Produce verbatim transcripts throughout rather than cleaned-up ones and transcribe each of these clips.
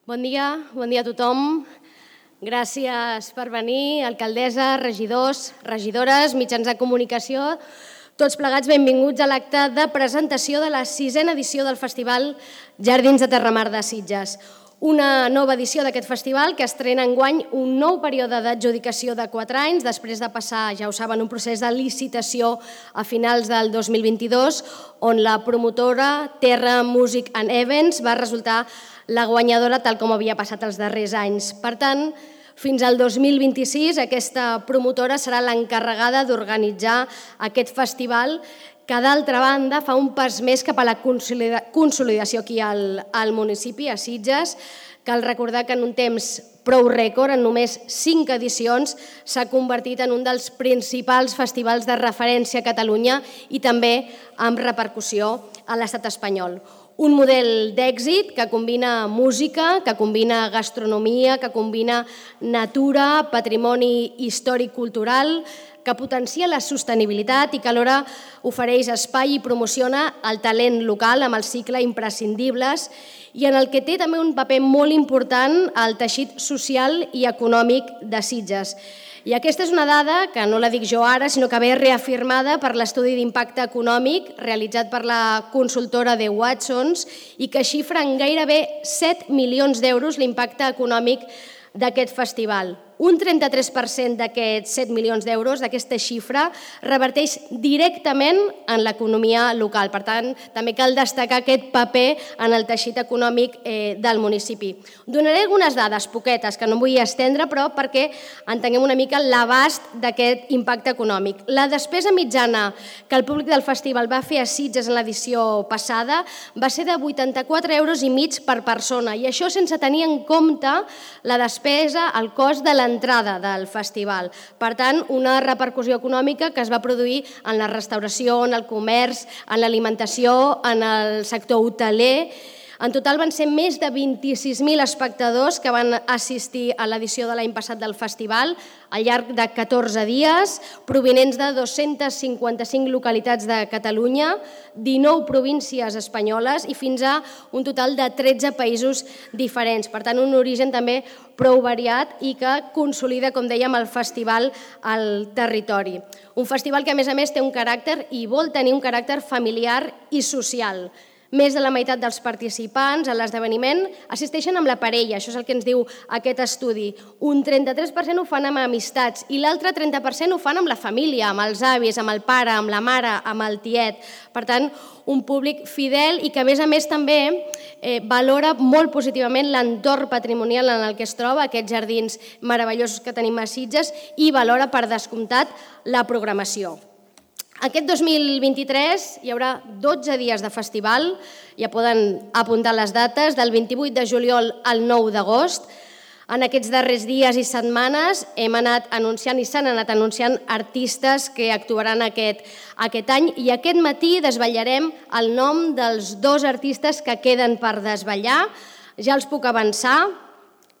Bon dia, bon dia a tothom. Gràcies per venir, alcaldessa, regidors, regidores, mitjans de comunicació. Tots plegats benvinguts a l'acte de presentació de la sisena edició del Festival Jardins de Terramar de Sitges. Una nova edició d'aquest festival que estrena enguany un nou període d'adjudicació de quatre anys, després de passar, ja ho saben, un procés de licitació a finals del dos mil vint-i-dos, on la promotora Terra Music and Events va resultar la guanyadora tal com havia passat els darrers anys. Per tant, fins al dos mil vint-i-sis aquesta promotora serà l'encarregada d'organitzar aquest festival que, d'altra banda, fa un pas més cap a la consolidació aquí al, al municipi, a Sitges. Cal recordar que en un temps prou rècord, en només cinc edicions, s'ha convertit en un dels principals festivals de referència a Catalunya i també amb repercussió a l'estat espanyol. Un model d'èxit que combina música, que combina gastronomia, que combina natura, patrimoni històric-cultural, que potencia la sostenibilitat i que alhora ofereix espai i promociona el talent local amb el cicle Imprescindibles i en el que té també un paper molt important el teixit social i econòmic de Sitges. I aquesta és una dada que no la dic jo ara, sinó que ve reafirmada per l'estudi d'impacte econòmic realitzat per la consultora de Watsons i que xifra en gairebé set milions d'euros l'impacte econòmic d'aquest festival. Un trenta-tres per cent d'aquests set milions d'euros, d'aquesta xifra, reverteix directament en l'economia local. Per tant, també cal destacar aquest paper en el teixit econòmic del municipi. Donaré algunes dades poquetes, que no em vull estendre, però perquè entenguem una mica l'abast d'aquest impacte econòmic. La despesa mitjana que el públic del festival va fer a Sitges en l'edició passada va ser de vuitanta-quatre euros i mig per persona, i això sense tenir en compte la despesa, el cost de la entrada del festival. Per tant, una repercussió econòmica que es va produir en la restauració, en el comerç, en l'alimentació, en el sector hoteler. En total van ser més de vint-i-sis mil espectadors que van assistir a l'edició de l'any passat del festival al llarg de catorze dies, provinents de dos-centes cinquanta-cinc localitats de Catalunya, dinou províncies espanyoles i fins a un total de tretze països diferents. Per tant, un origen també prou variat i que consolida, com dèiem, el festival al territori. Un festival que, a més a més, té un caràcter i vol tenir un caràcter familiar i social. Més de la meitat dels participants a l'esdeveniment assisteixen amb la parella, això és el que ens diu aquest estudi. Un trenta-tres per cent ho fan amb amistats i l'altre trenta per cent ho fan amb la família, amb els avis, amb el pare, amb la mare, amb el tiet. Per tant, un públic fidel i que, a més a més, també valora molt positivament l'entorn patrimonial en el que es troba, aquests jardins meravellosos que tenim a Sitges, i valora, per descomptat, la programació. Aquest dos mil vint-i-tres hi haurà dotze dies de festival, ja poden apuntar les dates, del vint-i-vuit de juliol al nou d'agost. En aquests darrers dies i setmanes hem anat anunciant i s'han anat anunciant artistes que actuaran aquest, aquest any i aquest matí desvetllarem el nom dels dos artistes que queden per desvetllar. Ja els puc avançar,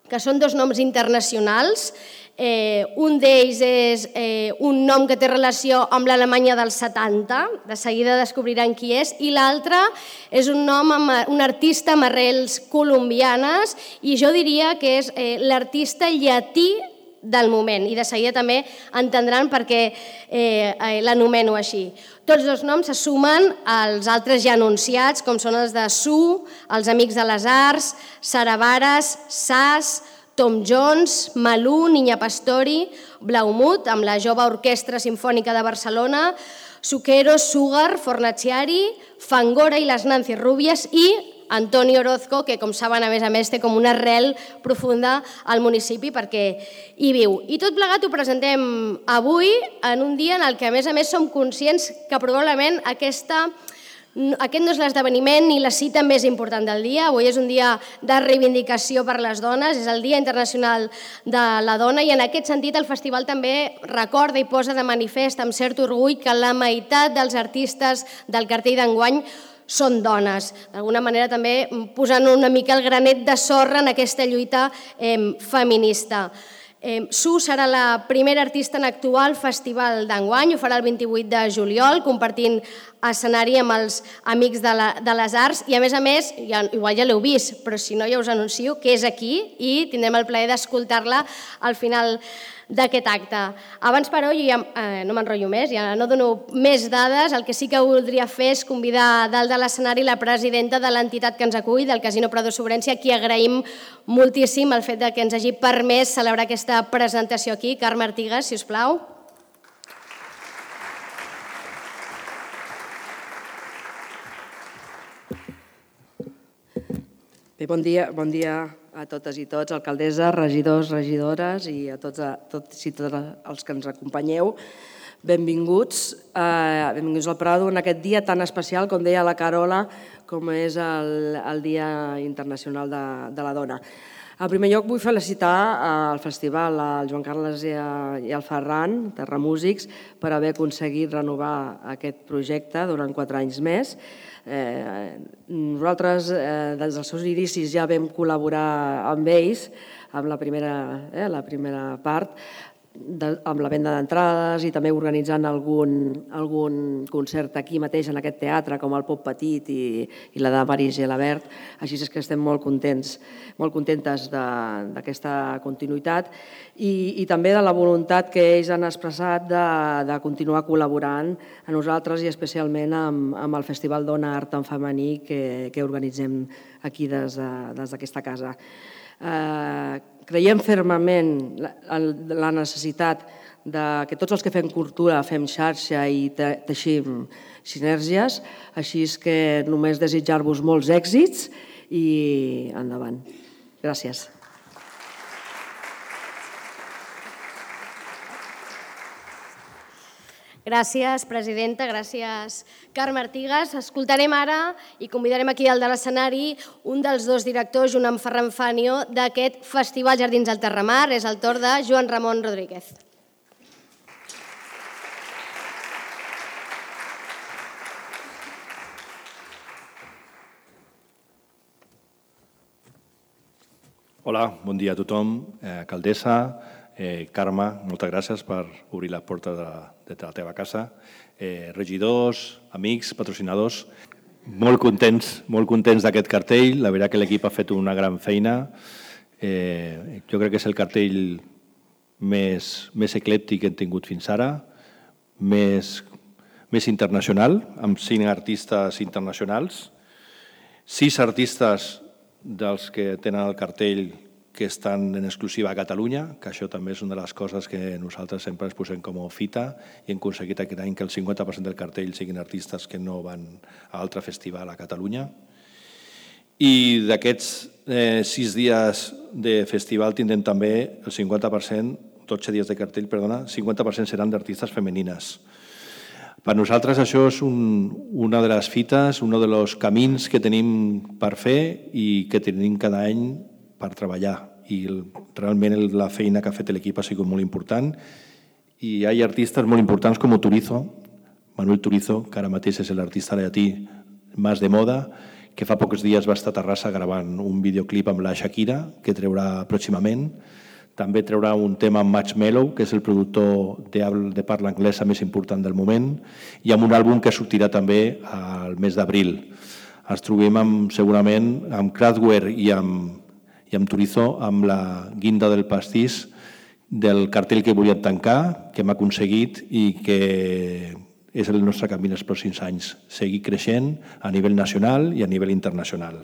que són dos noms internacionals. Eh, un d'ells és eh, un nom que té relació amb l'Alemanya dels setanta, de seguida descobriran qui és, i l'altre és un nom, amb, un artista amb arrels colombianes, i jo diria que és eh, l'artista llatí del moment, i de seguida també entendran per què eh, l'anomeno així. Tots dos noms se sumen als altres ja anunciats, com són els de Su, els Amics de les Arts, Saravares, Sas, Tom Jones, Malú, Niña Pastori, Blaumut, amb la Jove Orquestra Simfònica de Barcelona, Zucchero, Sugar, Fornaciari, Fangora i les Nancy Rubies i Antonio Orozco, que, com saben, a més a més, té com una arrel profunda al municipi perquè hi viu. I tot plegat ho presentem avui, en un dia en el que, a més a més, som conscients que probablement aquesta... Aquest no és l'esdeveniment ni la cita més important del dia. Avui és un dia de reivindicació per les dones, és el Dia Internacional de la Dona i en aquest sentit el festival també recorda i posa de manifest amb cert orgull que la meitat dels artistes del cartell d'enguany són dones. D'alguna manera també posant una mica el granet de sorra en aquesta lluita eh, feminista. Eh, Su serà la primera artista en actuar al festival d'enguany, ho farà el vint-i-vuit de juliol, compartint escenari amb els Amics de, la, de les Arts i a més a més, ja, igual ja l'heu vist, però si no ja us anuncio que és aquí i tindrem el plaer d'escoltar-la al final d'aquest acte. Abans, però, jo ja eh, no m'enrotllo més, ja no dono més dades, el que sí que voldria fer és convidar dalt de l'escenari la presidenta de l'entitat que ens acull, del Casino Prado Sobrència, a qui agraïm moltíssim el fet de que ens hagi permès celebrar aquesta presentació aquí. Carme Artigas, si us plau. Bé, bon dia, bon dia a totes i tots, alcaldessa, regidors, regidores i a tots, a, tots i tots els que ens acompanyeu. Benvinguts, eh, benvinguts al Prado en aquest dia tan especial, com deia la Carola, com és el, el Dia Internacional de, de la Dona. En primer lloc vull felicitar al festival al Joan Carles i, a, i al Ferran, Terra Músics, per haver aconseguit renovar aquest projecte durant quatre anys més. Eh, nosaltres, eh, des dels seus inicis, ja vam col·laborar amb ells, amb la primera, eh, la primera part, de, amb la venda d'entrades i també organitzant algun, algun concert aquí mateix en aquest teatre, com el Pop Petit i, i la de Maris Gelabert. Així és que estem molt contents, molt contentes d'aquesta continuïtat i, i també de la voluntat que ells han expressat de, de continuar col·laborant a nosaltres i especialment amb, amb el Festival Dona Art en Femení que, que organitzem aquí des d'aquesta de, casa. Eh, creiem fermament la, la necessitat de que tots els que fem cultura fem xarxa i te, teixim sinergies, així és que només desitjar-vos molts èxits i endavant. Gràcies. Gràcies, presidenta, gràcies, Carme Artigas. Escoltarem ara i convidarem aquí dalt de l'escenari un dels dos directors, junt amb Ferran Fanio, d'aquest Festival Jardins del Terramar. És el torn de Joan Ramon Rodríguez. Hola, bon dia a tothom. Eh, alcaldessa, Eh, Carme, moltes gràcies per obrir la porta de, de la teva casa. Eh, regidors, amics, patrocinadors, molt contents, molt contents d'aquest cartell. La veritat que l'equip ha fet una gran feina. Eh, jo crec que és el cartell més, més eclèptic que hem tingut fins ara, més, més internacional, amb cinc artistes internacionals, sis artistes dels que tenen el cartell que estan en exclusiva a Catalunya, que això també és una de les coses que nosaltres sempre ens posem com a fita i hem aconseguit aquest any que el cinquanta per cent del cartell siguin artistes que no van a altre festival a Catalunya. I d'aquests eh, sis dies de festival tindrem també el cinquanta per cent, dotze dies de cartell, perdona, cinquanta per cent seran d'artistes femenines. Per nosaltres això és un, una de les fites, un dels camins que tenim per fer i que tenim cada any per treballar. I realment la feina que ha fet l'equip ha sigut molt important i hi ha artistes molt importants com Turizo, Manuel Turizo, que ara mateix és l'artista llatí més de moda, que fa pocs dies va estar a Terrassa gravant un videoclip amb la Shakira, que treurà pròximament. També treurà un tema amb Marshmello, que és el productor de, de parla anglesa més important del moment, i amb un àlbum que sortirà també al mes d'abril. Ens trobem amb, segurament amb Kraftwerk i amb i amb Turizo, amb la guinda del pastís del cartell que volíem tancar, que hem aconseguit i que és el nostre camí els pròxims anys, seguir creixent a nivell nacional i a nivell internacional.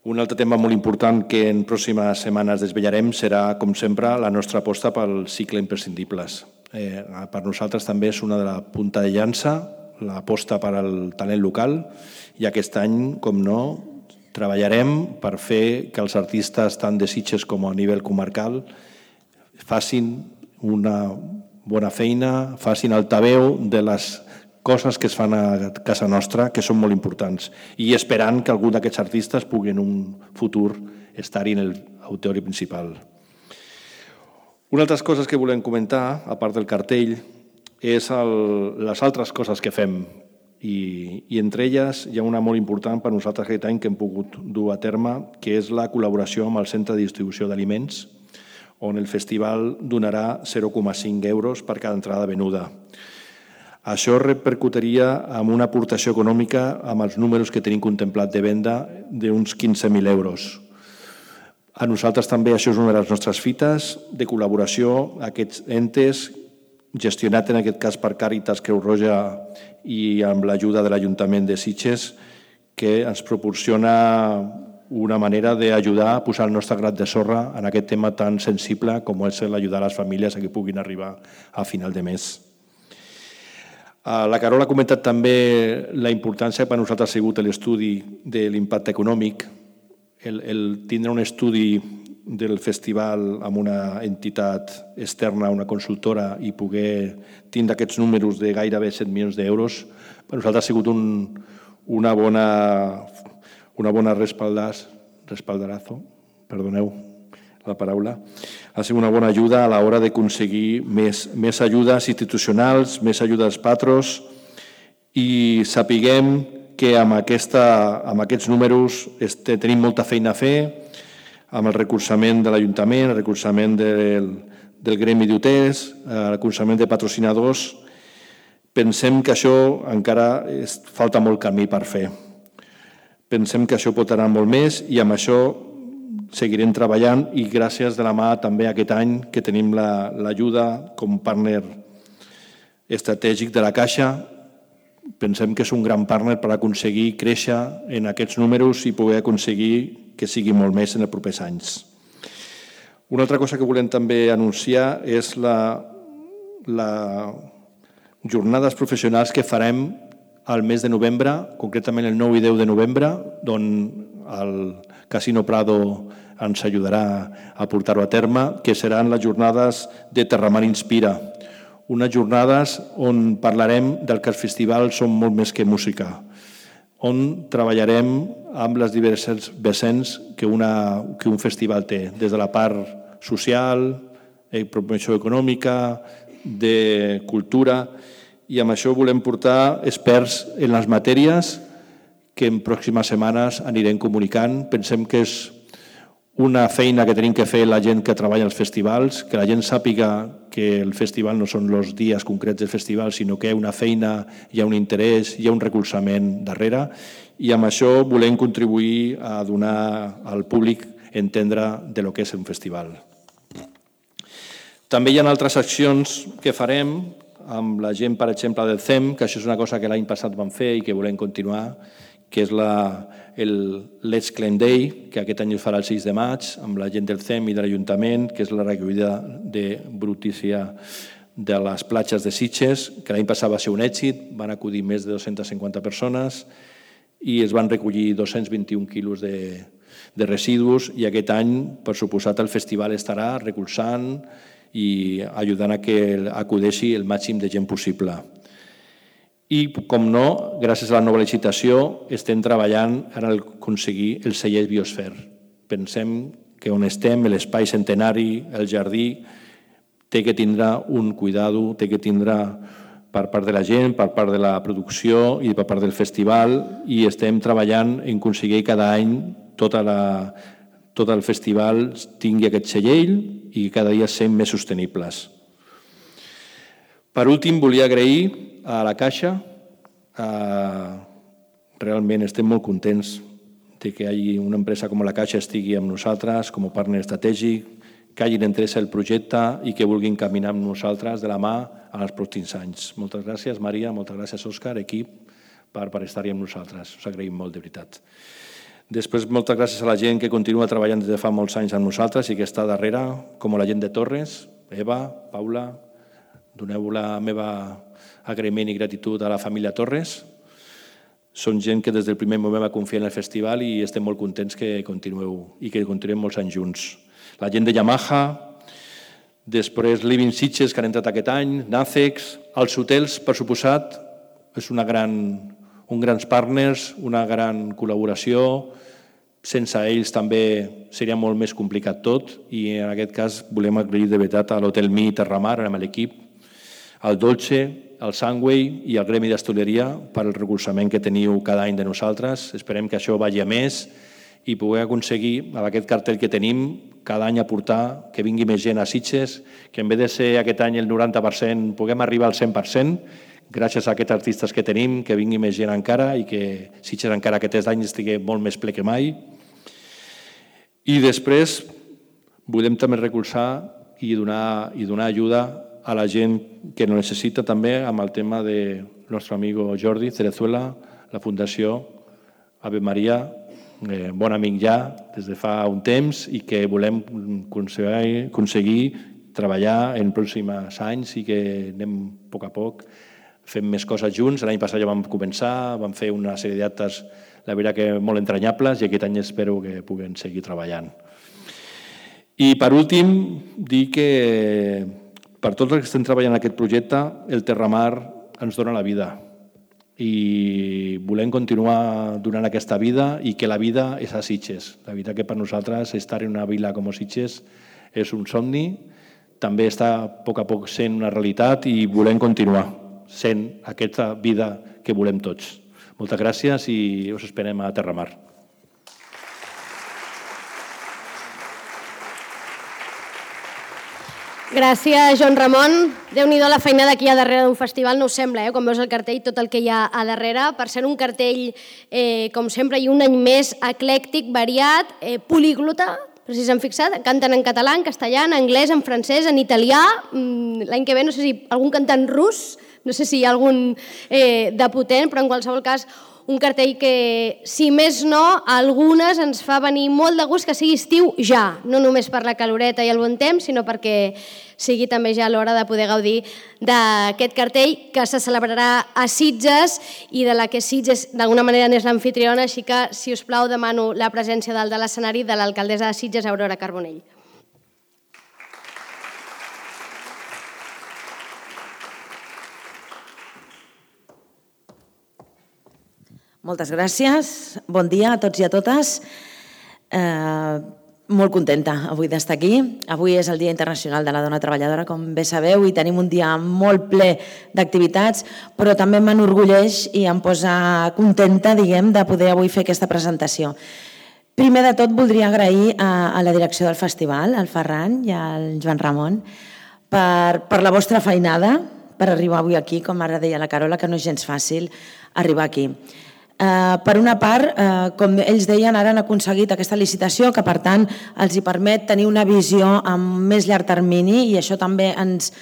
Un altre tema molt important que en pròximes setmanes desvetllarem serà, com sempre, la nostra aposta pel cicle imprescindibles. Eh, per nosaltres també és una de la punta de llança, l'aposta per al talent local, i aquest any, com no, treballarem per fer que els artistes tant de Sitges com a nivell comarcal facin una bona feina, facin altaveu de les coses que es fan a casa nostra, que són molt importants, i esperant que algun d'aquests artistes pugui en un futur estar-hi en l'auditori principal. Una altra coses que volem comentar, a part del cartell, és el, les altres coses que fem. I, i entre elles hi ha una molt important per nosaltres aquest any que hem pogut dur a terme, que és la col·laboració amb el Centre de Distribució d'Aliments, on el festival donarà zero coma cinc euros per cada entrada venuda. Això repercutiria en una aportació econòmica amb els números que tenim contemplat de venda d'uns quinze mil euros. A nosaltres també això és una de les nostres fites de col·laboració, aquests entes gestionat en aquest cas per Càritas Creu Roja i amb l'ajuda de l'Ajuntament de Sitges, que ens proporciona una manera d'ajudar a posar el nostre grat de sorra en aquest tema tan sensible com és l'ajudar a les famílies a que puguin arribar a final de mes. La Carola ha comentat també la importància per a nosaltres ha sigut l'estudi de l'impacte econòmic, el, el tindre un estudi del festival amb una entitat externa, una consultora, i poder tindre aquests números de gairebé set milions d'euros, per nosaltres ha sigut un, una bona, una bona respaldàs, respaldarazo, perdoneu la paraula, ha sigut una bona ajuda a l'hora d'aconseguir més, més ajudes institucionals, més ajudes patros, i sapiguem que amb, aquesta, amb aquests números este, tenim molta feina a fer, amb el recolzament de l'Ajuntament, el recolzament del, del gremi d'hotels, el recolzament de patrocinadors. Pensem que això encara es, falta molt camí per fer. Pensem que això pot anar molt més i amb això seguirem treballant i gràcies de la mà també aquest any que tenim l'ajuda la, com partner estratègic de la Caixa. Pensem que és un gran partner per aconseguir créixer en aquests números i poder aconseguir que sigui molt més en els propers anys. Una altra cosa que volem també anunciar és la, la jornades professionals que farem al mes de novembre, concretament el nou i deu de novembre, on el Casino Prado ens ajudarà a portar-ho a terme, que seran les jornades de Terramar Inspira. Unes jornades on parlarem del que els festivals són molt més que música, on treballarem amb les diverses vessants que, una, que un festival té, des de la part social, de promoció econòmica, de cultura, i amb això volem portar experts en les matèries que en pròximes setmanes anirem comunicant. Pensem que és una feina que tenim que fer la gent que treballa als festivals, que la gent sàpiga que el festival no són els dies concrets del festival, sinó que hi ha una feina, hi ha un interès, hi ha un recolzament darrere, i amb això volem contribuir a donar al públic entendre de lo que és un festival. També hi ha altres accions que farem amb la gent, per exemple, del C E M, que això és una cosa que l'any passat vam fer i que volem continuar, que és la, el Let's Clean Day, que aquest any es farà el sis de maig, amb la gent del C E M i de l'Ajuntament, que és la recollida de brutícia de les platges de Sitges, que l'any passat va ser un èxit, van acudir més de dues-centes cinquanta persones i es van recollir dos-cents vint-i-un quilos de, de residus, i aquest any, per suposat, el festival estarà recolzant i ajudant a que acudeixi el màxim de gent possible. I, com no, gràcies a la nova licitació, estem treballant en aconseguir el celler Biosfer. Pensem que on estem, l'espai centenari, el jardí, té que tindre un cuidado, té que tindre per part de la gent, per part de la producció i per part del festival, i estem treballant en aconseguir cada any tota la, tot el festival tingui aquest celler i cada dia sent més sostenibles. Per últim, volia agrair a la Caixa. Realment estem molt contents de que hi hagi una empresa com la Caixa estigui amb nosaltres com a partner estratègic, que hagin entès el projecte i que vulguin caminar amb nosaltres de la mà en els pròxims anys. Moltes gràcies, Maria, moltes gràcies, Òscar, equip, per, per estar-hi amb nosaltres. Us agraïm molt, de veritat. Després, moltes gràcies a la gent que continua treballant des de fa molts anys amb nosaltres i que està darrere, com la gent de Torres, Eva, Paula. Doneu la meva agraïment i gratitud a la família Torres. Són gent que des del primer moment va confiar en el festival i estem molt contents que continueu i que continuem molts anys junts. La gent de Yamaha, després Living Sitges, que han entrat aquest any, Nacex, els hotels, per suposat, és una gran, un grans partners, una gran col·laboració. Sense ells també seria molt més complicat tot i en aquest cas volem agrair de veritat a l'Hotel Mi Terramar, amb l'equip, al Dolce, al Sunway i al Gremi d'Hostaleria per el recolzament que teniu cada any de nosaltres. Esperem que això vagi a més i poder aconseguir, amb aquest cartell que tenim, cada any aportar que vingui més gent a Sitges, que en vez de ser aquest any el noranta per cent, puguem arribar al cent per cent, gràcies a aquests artistes que tenim, que vingui més gent encara i que Sitges encara aquest any estigui molt més ple que mai. I després volem també recolzar i donar, i donar ajuda a la gent que ho necessita també amb el tema del nostre amigo Jordi Cerezuela, la Fundació Ave Maria, eh, bon amic ja des de fa un temps i que volem aconseguir, aconseguir treballar en pròxims anys i que anem a poc a poc fent més coses junts. L'any passat ja vam començar, vam fer una sèrie d'actes, la veritat que molt entranyables, i aquest any espero que puguem seguir treballant. I per últim, dir que per tots els que estem treballant en aquest projecte, el Terramar ens dona la vida i volem continuar donant aquesta vida i que la vida és a Sitges. La veritat que per nosaltres estar en una vila com Sitges és un somni, també està a poc a poc sent una realitat i volem continuar sent aquesta vida que volem tots. Moltes gràcies i us esperem a Terramar. Gràcies, Joan Ramon. Déu-n'hi-do la feinada que hi ha darrere d'un festival, no us sembla, eh? Quan veus el cartell, tot el que hi ha a darrere. Per ser un cartell, eh, com sempre, i un any més eclèctic, variat, eh, poliglota, però si s'han fixat, canten en català, en castellà, en anglès, en francès, en italià. L'any que ve no sé si algun cantant rus, no sé si hi ha algun eh, de potent, però en qualsevol cas un cartell que, si més no, a algunes ens fa venir molt de gust que sigui estiu ja, no només per la caloreta i el bon temps, sinó perquè sigui també ja l'hora de poder gaudir d'aquest cartell que se celebrarà a Sitges i de la que Sitges d'alguna manera n'és l'amfitriona, així que, si us plau, demano la presència dalt de l'escenari de l'alcaldessa de Sitges, Aurora Carbonell. Moltes gràcies. Bon dia a tots i a totes. Eh, molt contenta avui d'estar aquí. Avui és el Dia Internacional de la Dona Treballadora, com bé sabeu, i tenim un dia molt ple d'activitats, però també m'enorgulleix i em posa contenta, diguem, de poder avui fer aquesta presentació. Primer de tot, voldria agrair a, a la direcció del festival, al Ferran i al Joan Ramon, per, per la vostra feinada, per arribar avui aquí, com ara deia la Carola, que no és gens fàcil arribar aquí. Uh, per una part, uh, com ells deien, ara han aconseguit aquesta licitació que, per tant, els hi permet tenir una visió amb més llarg termini i això també ens,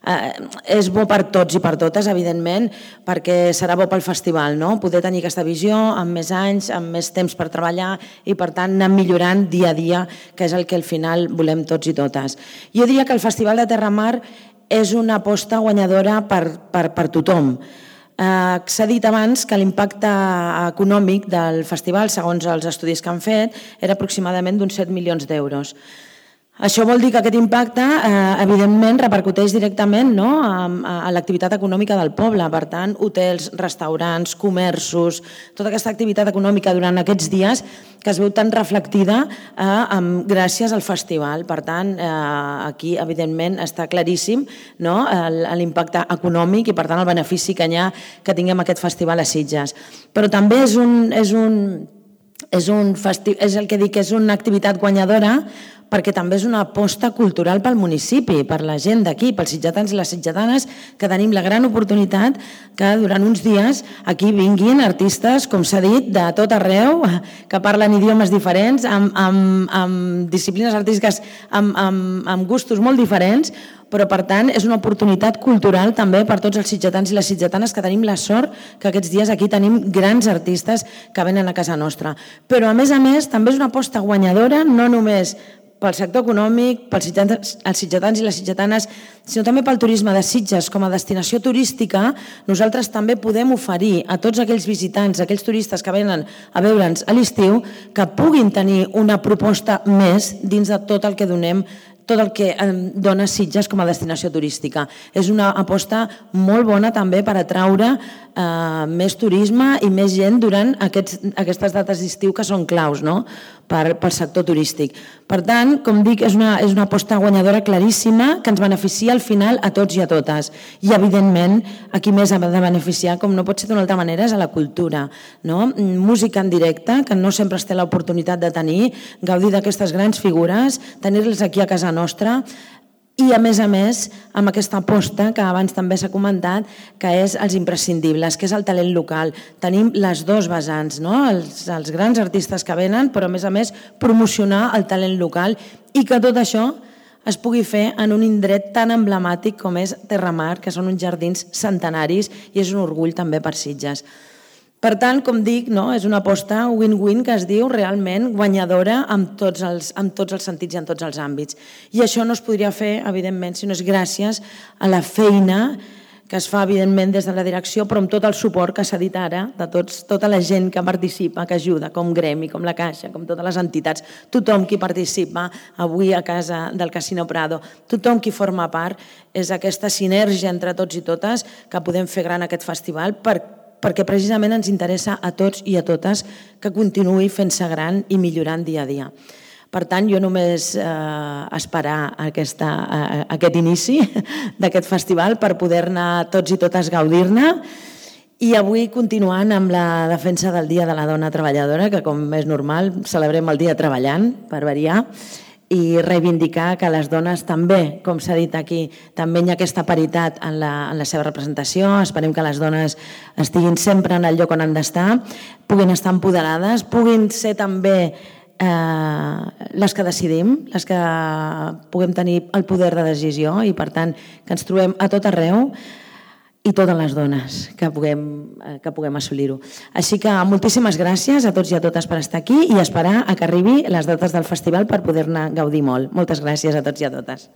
uh, és bo per tots i per totes, evidentment, perquè serà bo pel festival, no? Poder tenir aquesta visió amb més anys, amb més temps per treballar i, per tant, anar millorant dia a dia, que és el que al final volem tots i totes. Jo diria que el Festival de Terramar és una aposta guanyadora per, per, per tothom. Eh, s'ha dit abans que l'impacte econòmic del festival, segons els estudis que han fet, era aproximadament d'uns set milions d'euros. Això vol dir que aquest impacte, eh, evidentment, repercuteix directament, no?, a, a l'activitat econòmica del poble. Per tant, hotels, restaurants, comerços, tota aquesta activitat econòmica durant aquests dies que es veu tan reflectida eh, amb, gràcies al festival. Per tant, eh, aquí, evidentment, està claríssim, no?, l'impacte econòmic i, per tant, el benefici que hi ha que tinguem aquest festival a Sitges. Però també és un... És un És, un festi... és el que dic, és una activitat guanyadora perquè també és una aposta cultural pel municipi, per la gent d'aquí, pels sitgetans i les sitgetanes, que tenim la gran oportunitat que durant uns dies aquí vinguin artistes, com s'ha dit, de tot arreu, que parlen idiomes diferents, amb, amb, amb disciplines artístiques, amb, amb, amb gustos molt diferents, però, per tant, és una oportunitat cultural també per tots els sitgetans i les sitgetanes que tenim la sort que aquests dies aquí tenim grans artistes que venen a casa nostra. Però, a més a més, també és una aposta guanyadora, no només pel sector econòmic, pels sitgetans i les sitgetanes, sinó també pel turisme de Sitges com a destinació turística. Nosaltres també podem oferir a tots aquells visitants, aquells turistes que venen a veure'ns a l'estiu, que puguin tenir una proposta més dins de tot el que donem, tot el que dona Sitges com a destinació turística. És una aposta molt bona també per atraure eh, més turisme i més gent durant aquests, aquestes dates d'estiu que són claus, no?, per, pel sector turístic. Per tant, com dic, és una, és una aposta guanyadora claríssima que ens beneficia al final a tots i a totes. I, evidentment, a qui més ha de beneficiar, com no pot ser d'una altra manera, és a la cultura, no? Música en directe, que no sempre es té l'oportunitat de tenir, gaudir d'aquestes grans figures, tenir-les aquí a casa nostra. i, a més a més, amb aquesta aposta que abans també s'ha comentat, que és els imprescindibles, que és el talent local. Tenim les dos vessants, no? els, els grans artistes que venen, però, a més a més, promocionar el talent local i que tot això es pugui fer en un indret tan emblemàtic com és Terramar, que són uns jardins centenaris i és un orgull també per Sitges. Per tant, com dic, no, és una aposta win-win que es diu realment guanyadora amb tots, els, amb tots els sentits i en tots els àmbits. I això no es podria fer, evidentment, si no és gràcies a la feina que es fa, evidentment, des de la direcció, però amb tot el suport que s'ha dit ara, de tots, tota la gent que participa, que ajuda, com Gremi, com la Caixa, com totes les entitats, tothom qui participa avui a casa del Casino Prado, tothom qui forma part, és aquesta sinergia entre tots i totes que podem fer gran aquest festival per perquè precisament ens interessa a tots i a totes que continuï fent-se gran i millorant dia a dia. Per tant, jo només eh, esperar aquesta, eh, aquest inici d'aquest festival per poder-ne tots i totes gaudir-ne i avui continuant amb la defensa del Dia de la Dona Treballadora, que com és normal celebrem el dia treballant, per variar, i reivindicar que les dones també, com s'ha dit aquí, també hi ha aquesta paritat en la, en la seva representació. Esperem que les dones estiguin sempre en el lloc on han d'estar, puguin estar empoderades, puguin ser també eh, les que decidim, les que puguem tenir el poder de decisió i, per tant, que ens trobem a tot arreu i totes les dones que puguem, que puguem assolir-ho. Així que moltíssimes gràcies a tots i a totes per estar aquí i esperar a que arribi les dates del festival per poder-ne gaudir molt. Moltes gràcies a tots i a totes.